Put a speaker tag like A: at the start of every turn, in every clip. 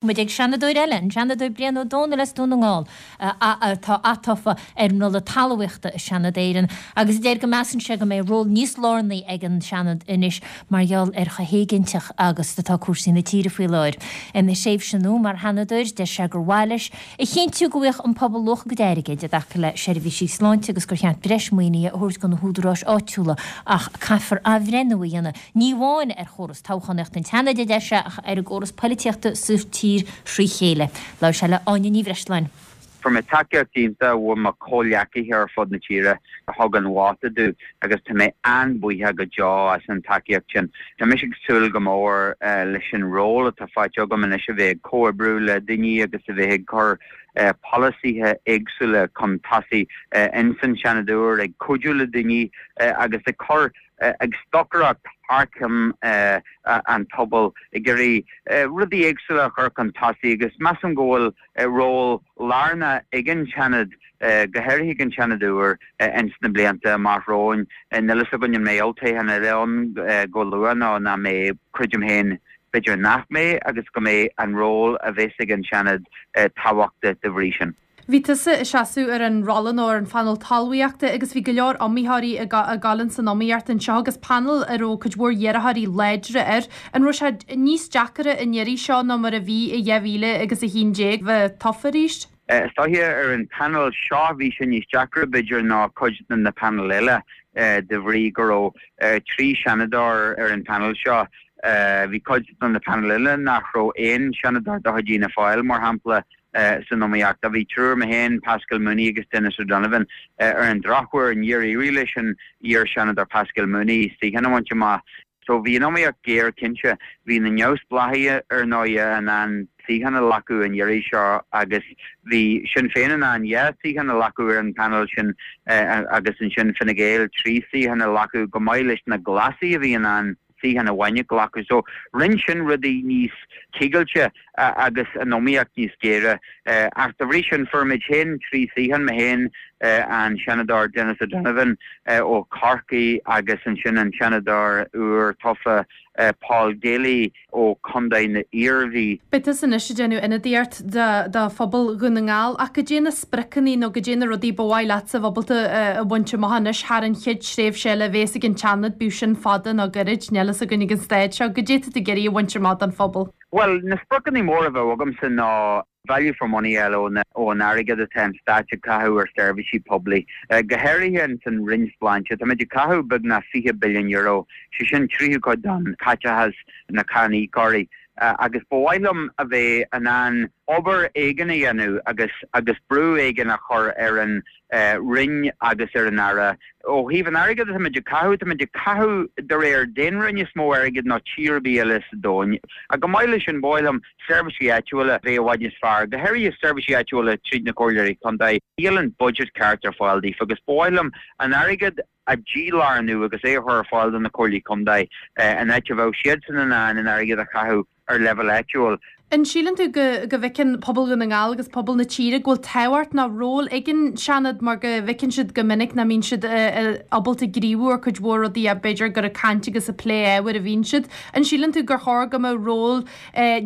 A: Muid ag Seanadóir eile, an Seanadóir Brian Ó Domhnaill as Dún na nGall, atá atofa ar an rolla talmhaíochta i Seanad Éireann agus a deir go measann sé go mbeidh ról níos lárnaí ag an Seanad anois mar gheall ar chomh héiginnteach agus atá cúrsaí na tíre faoi láthair. Ina thréimhse nua mar Sheanadóir, deir sé gur mhaith leis a chinntiú go bhfaigheadh an pobal luach a gcuid airgid i dtaca le seirbhísí sláinte agus gur cheart breis maoinithe a thabhairt do na húdaráis áitiúla ach caithfear athbhreithniú a dhéanamh ní amháin ar chóras toghchánaíochta an tSeanaid, a deir sé, ach ar an gcóras poilitíochta sa tír thrí chéile. Labhair sé le Áine Ní Bhreisleáin.
B: Fuair mé tacaíocht iontach ó mo chomhghleacaithe ar fud na tíre a thug an vóta domh agus tá mé an-bhuíoch go deo as an tacaíocht sin. Tá mise ag súil go mór leis an ról atá faighte agam anois a bheith ag comhoibriú le daoine agus a bheith ag cur polasaithe éagsúla chun tosaigh ins an Seanad úr, ag cuidiú le daoine agus ag cur ag stocaireacht thar ceann an phobail, ag iarraidh rudaí éagsúla a chur chun tosaigh agus measaim go bhfuil ról lárnach ag an Seanad, go háirithe ag an Seanad úr, ins na blianta amach romhainn. Níl a fhios againn an mbeidh olltoghchán eile ann go luath nó nach mbeidh, creidim féin b'fhéidir nach mbeidh agus go mbeidh an ról a bheas ag an Seanad tábhachtach de bhrí sin.
C: Bhí tusa ag seasamh ar an rolla nó ar an phainéal talmhaíochta agus bhí go leor iomaitheoirí ag gabháil ins an iomaíocht anseo agus painéal a raibh cuid mhór iarrthóirí láidre air. An raibh sé níos deacaire an iarraidh seo ná mar a bhí i 2000 agus 11 bheith tofa arís?
B: Is dóiche ar an phainéal seo bhí sé níos deacra b'fhéidir ná cuid de na painéil eile de bhrí go raibh 3 Seanadóir ar an phainéal seo. Bhí cuid de na painéil eile nach raibh aon Seanadóir de chuid Fhianna Fáil, mar shampla. san iomaíocht. Bhí triúr, mé féin, Paschal Mooney agus Denis O'Donovan. Ar an drochuair, níor éirigh leis an iar-Sheanadóir Paschal Mooney suíochán a bhaint amach. So bhí an iomaíocht géar cinnte. Bhí na neamhspleáchaithe ar ndóighe in ann suíochán a ghlacadh an iarraidh seo agus bhí Sinn Féin in ann 2 suíochán a ghlacadh ar an bpainéal sin agus ansin Fine Gael 3 suíochán a ghlacadh chomh maith leis na Glasaigh a bhí in ann suíochán amháin a ghlacadh. So rinne sin rudaí níos coigilte agus an iomaíocht níos géire. Ach dá bhrí sin fuair muid féin 3 suíochán, mé féin, an Seanadóir Denis O'Donovan ó Chorcaigh agus ansin an Seanadóir úr tofa Paul Daly ó Chontae na hIarmhí.
C: Beidh tusa anois ag déanamh ionadaíocht do phobal Dhún na nGall ach goidé na spriocanna nó goidé na rudaí ba mhaith leatsa a bheith ábalta a bhaint amach anois thar an chéad tréimhse eile a bhéas ag an tSeanad, bíodh sin fada nó gairid, níl fhios againn ag an staid seo, goidé tá tú ag iarraidh a bhaint amach don phobal?
B: Bhuel, na spriocanna móra a bheadh agamsa ná value for money a fháil ón airgead atá an Stát ag caitheamh ar seirbhísí poiblí, go háirithe ins an Roinn Sláinte. Táimid ag caitheamh beagnach €20 billiún, sé sin tríú cuid den chaiteachas na cáiníocóirí, agus ba mhaith liom a bheith in ann obair éigin a dhéanamh agus agus brú éigin a chur ar an Roinn agus ar an Aire. Ó thaobh an airgid atáimid ag caitheamh, táimid ag caitheamh de réir daonra níos mó airgid ná tír ar bith eile sa domhan. Ach chomh maith leis sin, ba mhaith liom seirbhísí áitiúla a bheith i bhfad níos fearr, go háirithe seirbhísí áitiúla tríd na comhairleoirí contae. Níl an budget ceart ar fáil daofa agus ba mhaith liom an airgead a dhílárnú agus é a chur ar fáil do na comhairlí contae in áit a bheadh siadsan in ann an airgead a chaitheamh ar leibhéal áitiúil.
C: An síleann tú go go bhfeiceann pobal Dhún na nGall agus pobal na tíre go bhfuil tábhacht nó ról ag an Seanad mar go bhfeiceann siad go minic nach mbíonn siad ábalta gníomhú ar cuid mhór rudaí ach b'fhéidir gur ag caint agus ag plé ábhair a bhíonn siad. An síleann tú gur chóir go mbeadh ról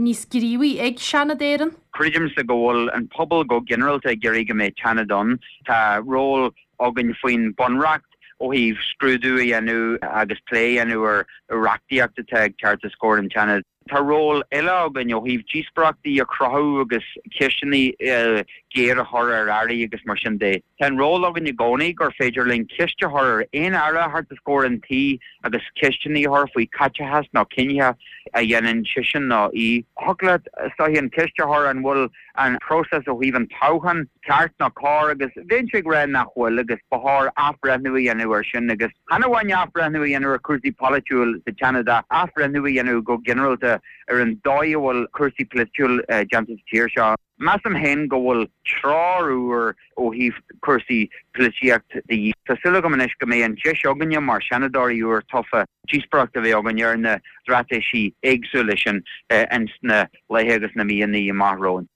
C: níos gníomhaí ag Seanad Éireann?
B: Creidimse go bhfuil an pobal go ginearálta ag iarraidh go mbeidh Seanad ann. Tá ról againn faoin Bhunreacht ó thaobh scrúdú a dhéanamh agus plé a dhéanamh ar reachtaíocht atá ag teacht os comhair an tSeanaid. Tá ról eile againn ó thaobh díospóireachtaí a chruthú agus ceisteanna géar a chur ar airí agus mar sin de. Tá an ról againn i gcónaí gur féidir linn ceist a chur ar aon aire a theacht os comhair an tí agus ceisteanna a chur faoi chaiteachas nó cinntí a dhéanann seisean nó í. Thiocfadh leat, is dóiche, an cheist a chur an bhfuil an próiseas ó thaobh an toghcháin ceart nó cóir agus bheinnse ag rá nach bhfuil agus ba chóir athbhreithniú a dhéanamh air sin agus chan amháin athbhreithniú a dhéanamh ar chúrsaí polaitiúil sa tSeanad ach athbhreithniú a dhéanamh go ginearálta ar an dóigh a bhfuil cúrsaí polaitiúil déanta sa tír seo. Measaim féin go bhfuil treoir úr ó thaobh cúrsaí polaitíocht de dhíth. Tá súil agam anois go mbeidh an deis againne mar Sheanadóirí úr tofa díospóireacht a bheith againn ar na straitéisí éagsúla sin ins na laethe agus na míonna amach romhainn.